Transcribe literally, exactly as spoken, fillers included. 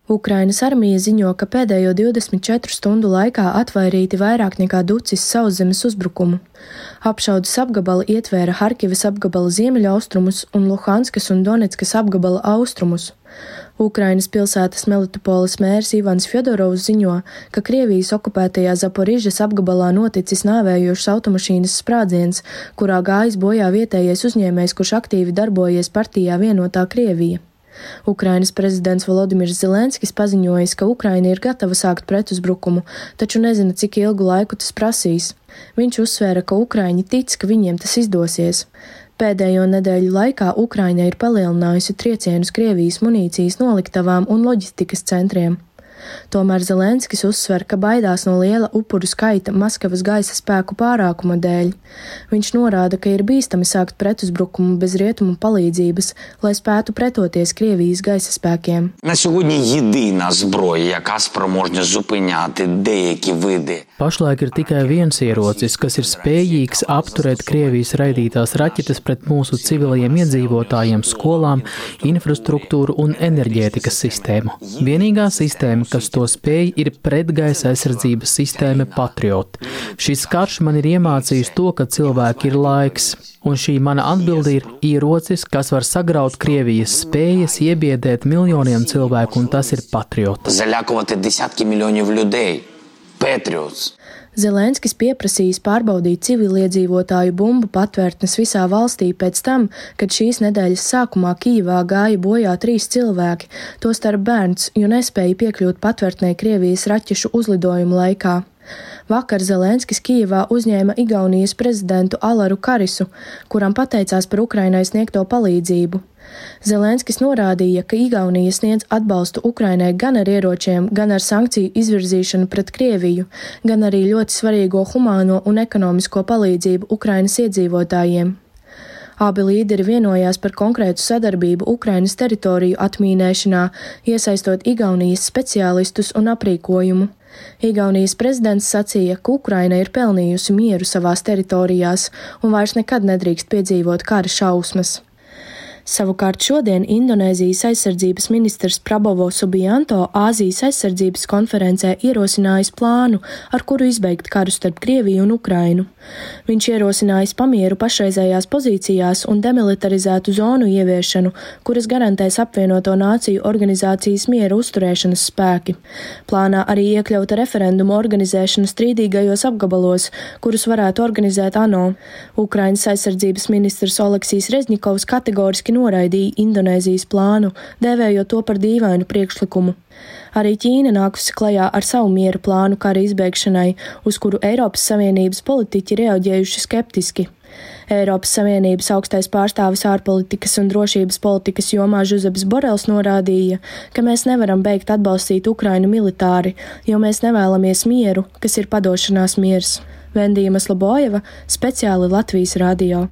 Ukrainas armija ziņo, ka pēdējo divdesmit četru stundu laikā atvairīti vairāk nekā ducis sauszemes uzbrukumu. Apšaudes apgabali ietvēra Harkivas apgabala ziemeļaustrumus un Luhanskas un Donetskas apgabala austrumus. Ukrainas pilsētas Melitopoles mērs Ivans Fjodorovs ziņo, ka Krievijas okupētajā Zaporižas apgabalā noticis nāvējošs automašīnas sprādziens, kurā gājis bojā vietējais uzņēmējs, kurš aktīvi darbojies partijā Vienotā Krievija. Ukrainas prezidents Volodimirs Zelenskis paziņojis, ka Ukraina ir gatava sākt pretuzbrukumu, taču nezina, cik ilgu laiku tas prasīs. Viņš uzsvēra, ka ukraiņi tic, ka viņiem tas izdosies. Pēdējo nedēļu laikā Ukraina ir palielinājusi triecienus Krievijas munīcijas noliktavām un loģistikas centriem. Tomēr Zelenskis uzsver, ka baidās no liela upuru skaita Maskavas gaisa spēku pārākuma dēļ. Viņš norāda, ka ir bīstami sākt pretuzbrukumu bez rietumu palīdzības, lai spētu pretoties Krievijas gaisa spēkiem. На сьогодні єдина зброя, яка спроможна зупиняти деякі види. Pašlaik ir tikai viens ierocis, kas ir spējīgs apturēt Krievijas raidītās raķetes pret mūsu civilajiem iedzīvotājiem, skolām, infrastruktūru un enerģētikas sistēmu. Vienīgā sistēma, kas to spēj, ir pretgaisa aizsardzības sistēma Patriot. Šis karš man ir iemācījis to, ka cilvēki ir laiks, un šī mana atbilde ir ierocis, kas var sagraut Krievijas spējas iebiedēt miljoniem cilvēku, un tas ir Patriot. Залякувати десятки мільйонів людей. Patriots. Zelenskis pieprasījis pārbaudīt civiliedzīvotāju bumbu patvērtnes visā valstī pēc tam, kad šīs nedēļas sākumā Kijivā gāja bojā trīs cilvēki, tostarp bērns, jo nespēja piekļūt patvērtnē Krievijas raķešu uzlidojumu laikā. Vakar Zelenskis Kijivā uzņēma Igaunijas prezidentu Alaru Karisu, kuram pateicās par Ukrainai sniegto palīdzību. Zelenskis norādīja, ka Igaunija sniedz atbalstu Ukrainai gan ar ieročiem, gan ar sankciju izvirzīšanu pret Krieviju, gan arī ļoti svarīgo humāno un ekonomisko palīdzību Ukrainas iedzīvotājiem. Abi līderi vienojās par konkrētu sadarbību Ukrainas teritoriju atmīnēšanā, iesaistot Igaunijas speciālistus un aprīkojumu. Igaunijas prezidents sacīja, ka Ukraina ir pelnījusi mieru savās teritorijās un vairs nekad nedrīkst piedzīvot kara šausmas. Savukārt šodien Indonēzijas aizsardzības ministrs Prabowo Subianto Āzijas aizsardzības konferencē ierosinājis plānu, ar kuru izbeigt karu starp Krieviju un Ukrainu. Viņš ierosinājis pamieru pašreizējās pozīcijās un demilitarizētu zonu ieviešanu, kuras garantēs apvienoto nāciju organizācijas miera uzturēšanas spēki. Plānā arī iekļauta referendumu organizēšana strīdīgajos apgabalos, kurus varētu organizēt ANO. Ukrainas aizsardzības ministrs Oleksijs Rezņikovs kategoriski noraidīja Indonēzijas plānu, dēvējot to par dīvainu priekšlikumu. Arī Ķīna nākusi klajā ar savu miera plānu kara izbeigšanai, uz kuru Eiropas Savienības politiķi reaģējuši skeptiski. Eiropas Savienības augstais pārstāvis ārpolitikas un drošības politikas jomā Žuzeps Borels norādīja, ka mēs nevaram beigt atbalstīt Ukrainu militāri, jo mēs nevēlamies mieru, kas ir padošanās miers. Vendija Maslobojeva, speciāli Latvijas radio.